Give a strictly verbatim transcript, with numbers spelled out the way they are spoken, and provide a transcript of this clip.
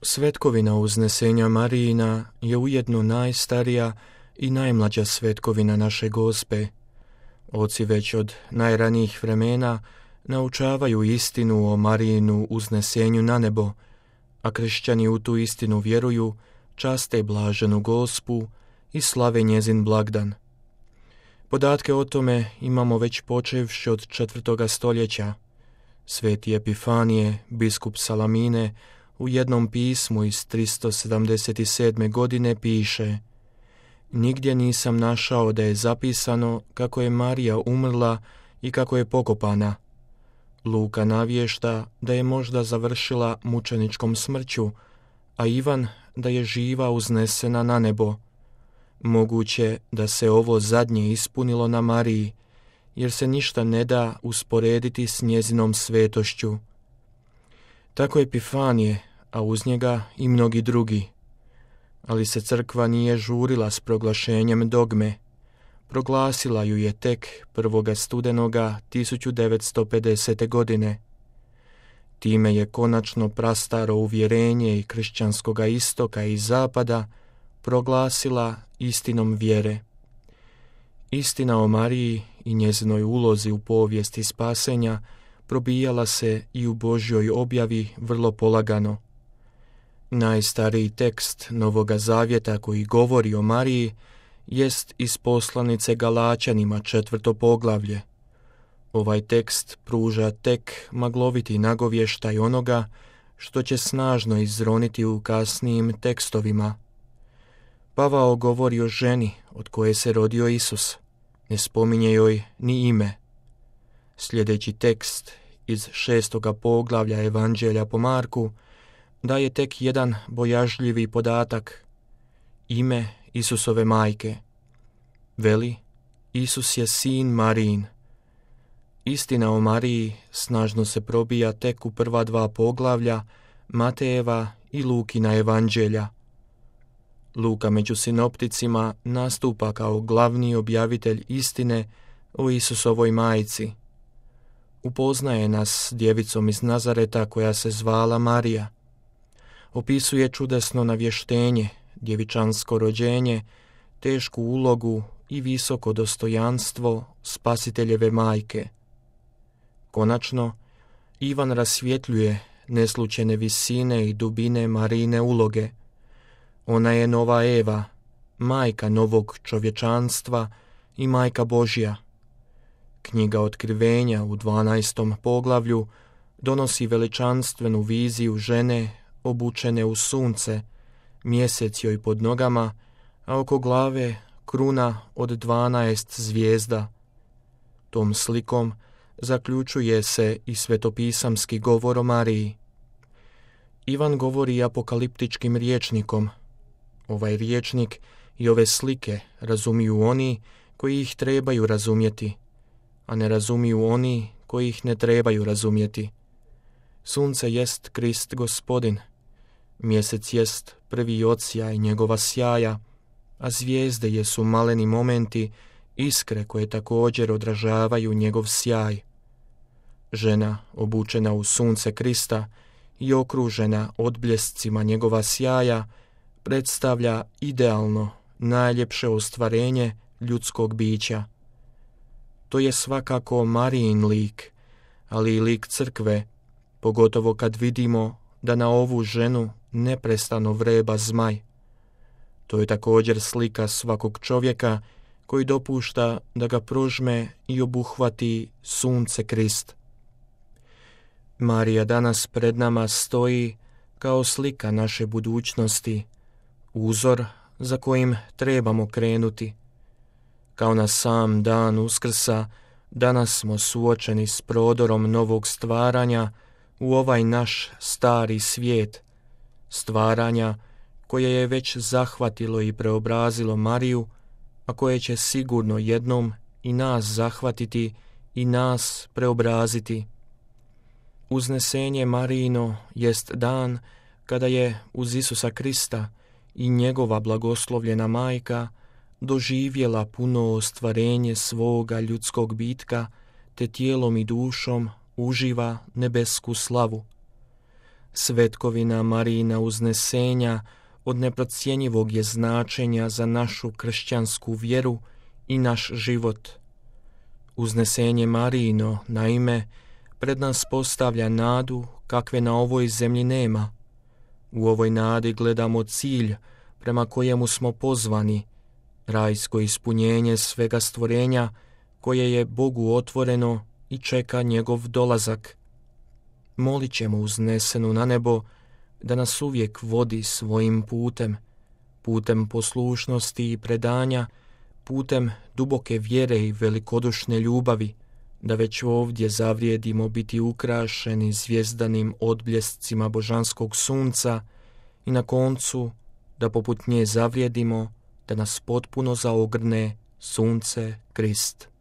Svetkovina uznesenja Marijina je ujedno najstarija i najmlađa svetkovina naše Gospe. Oci već od najranijih vremena naučavaju istinu o Marijinu uznesenju na nebo, a kršćani u tu istinu vjeruju, časte blaženu Gospu i slave njezin blagdan. Podatke o tome imamo već počevši od četvrtoga stoljeća. Sveti Epifanije, biskup Salamine, u jednom pismu iz tristo sedamdeset sedme. godine piše: Nigdje nisam našao da je zapisano kako je Marija umrla i kako je pokopana. Luka navješta da je možda završila mučeničkom smrću, a Ivan da je živa uznesena na nebo. Moguće da se ovo zadnje ispunilo na Mariji, jer se ništa ne da usporediti s njezinom svetošću. Tako Epifanije, a uz njega i mnogi drugi. Ali se crkva nije žurila s proglašenjem dogme. Proglasila ju je tek prvoga studenoga tisuću devetsto pedesete. godine. Time je konačno prastaro uvjerenje i kršćanskoga istoka i zapada proglasila istinom vjere. Istina o Mariji i njezinoj ulozi u povijesti spasenja probijala se i u Božjoj objavi vrlo polagano. Najstariji tekst Novoga Zavjeta koji govori o Mariji jest iz poslanice Galačanima četvrto poglavlje. Ovaj tekst pruža tek magloviti nagovještaj onoga što će snažno izroniti u kasnijim tekstovima. Pavao govori o ženi od koje se rodio Isus, ne spominje joj ni ime. Sljedeći tekst iz šestoga poglavlja Evanđelja po Marku daje tek jedan bojažljivi podatak: ime Isusove majke. Veli, Isus je sin Marijin. Istina o Mariji snažno se probija tek u prva dva poglavlja Matejeva i Lukina evanđelja. Luka među sinopticima nastupa kao glavni objavitelj istine o Isusovoj majci. Upoznaje nas s djevicom iz Nazareta koja se zvala Marija. Opisuje čudesno navještenje, djevičansko rođenje, tešku ulogu i visoko dostojanstvo Spasiteljeve majke. Konačno, Ivan rasvjetljuje neslučene visine i dubine Marijine uloge. Ona je nova Eva, majka novog čovječanstva i majka Božja. Knjiga Otkrivenja u dvanaestom poglavlju donosi veličanstvenu viziju žene obučene u sunce, mjesec joj pod nogama, a oko glave kruna od dvanaest zvijezda. Tom slikom zaključuje se i svetopisamski govor o Mariji. Ivan govori apokaliptičkim rječnikom. Ovaj rječnik i ove slike razumiju oni koji ih trebaju razumjeti, a ne razumiju oni koji ih ne trebaju razumjeti. Sunce jest Krist Gospodin, mjesec jest prvi odsjaj njegova sjaja, a zvijezde jesu maleni momenti, iskre koje također odražavaju njegov sjaj. Žena obučena u sunce Krista i okružena odbljescima njegova sjaja predstavlja idealno, najljepše ostvarenje ljudskog bića. To je svakako Marijin lik, ali i lik crkve, pogotovo kad vidimo da na ovu ženu neprestano vreba zmaj. To je također slika svakog čovjeka koji dopušta da ga prožme i obuhvati sunce Krist. Marija danas pred nama stoji kao slika naše budućnosti, uzor za kojim trebamo krenuti. Kao na sam dan Uskrsa, danas smo suočeni s prodorom novog stvaranja u ovaj naš stari svijet, stvaranja koje je već zahvatilo i preobrazilo Mariju, a koje će sigurno jednom i nas zahvatiti i nas preobraziti. Uznesenje Marijino jest dan kada je uz Isusa Krista i njegova blagoslovljena majka doživjela puno ostvarenje svoga ljudskog bitka, te tijelom i dušom uživa nebesku slavu. Svetkovina Marijina uznesenja od neprocjenjivog je značenja za našu kršćansku vjeru i naš život. Uznesenje Marijino, naime, pred nas postavlja nadu kakve na ovoj zemlji nema. U ovoj nadi gledamo cilj prema kojemu smo pozvani, rajsko ispunjenje svega stvorenja koje je Bogu otvoreno i čeka njegov dolazak. Molit ćemo uznesenu na nebo da nas uvijek vodi svojim putem, putem poslušnosti i predanja, putem duboke vjere i velikodušne ljubavi, da već ovdje zavrijedimo biti ukrašeni zvjezdanim odbljescima božanskog sunca i na koncu da poput nje zavrijedimo da nas potpuno zaogrne sunce Krist.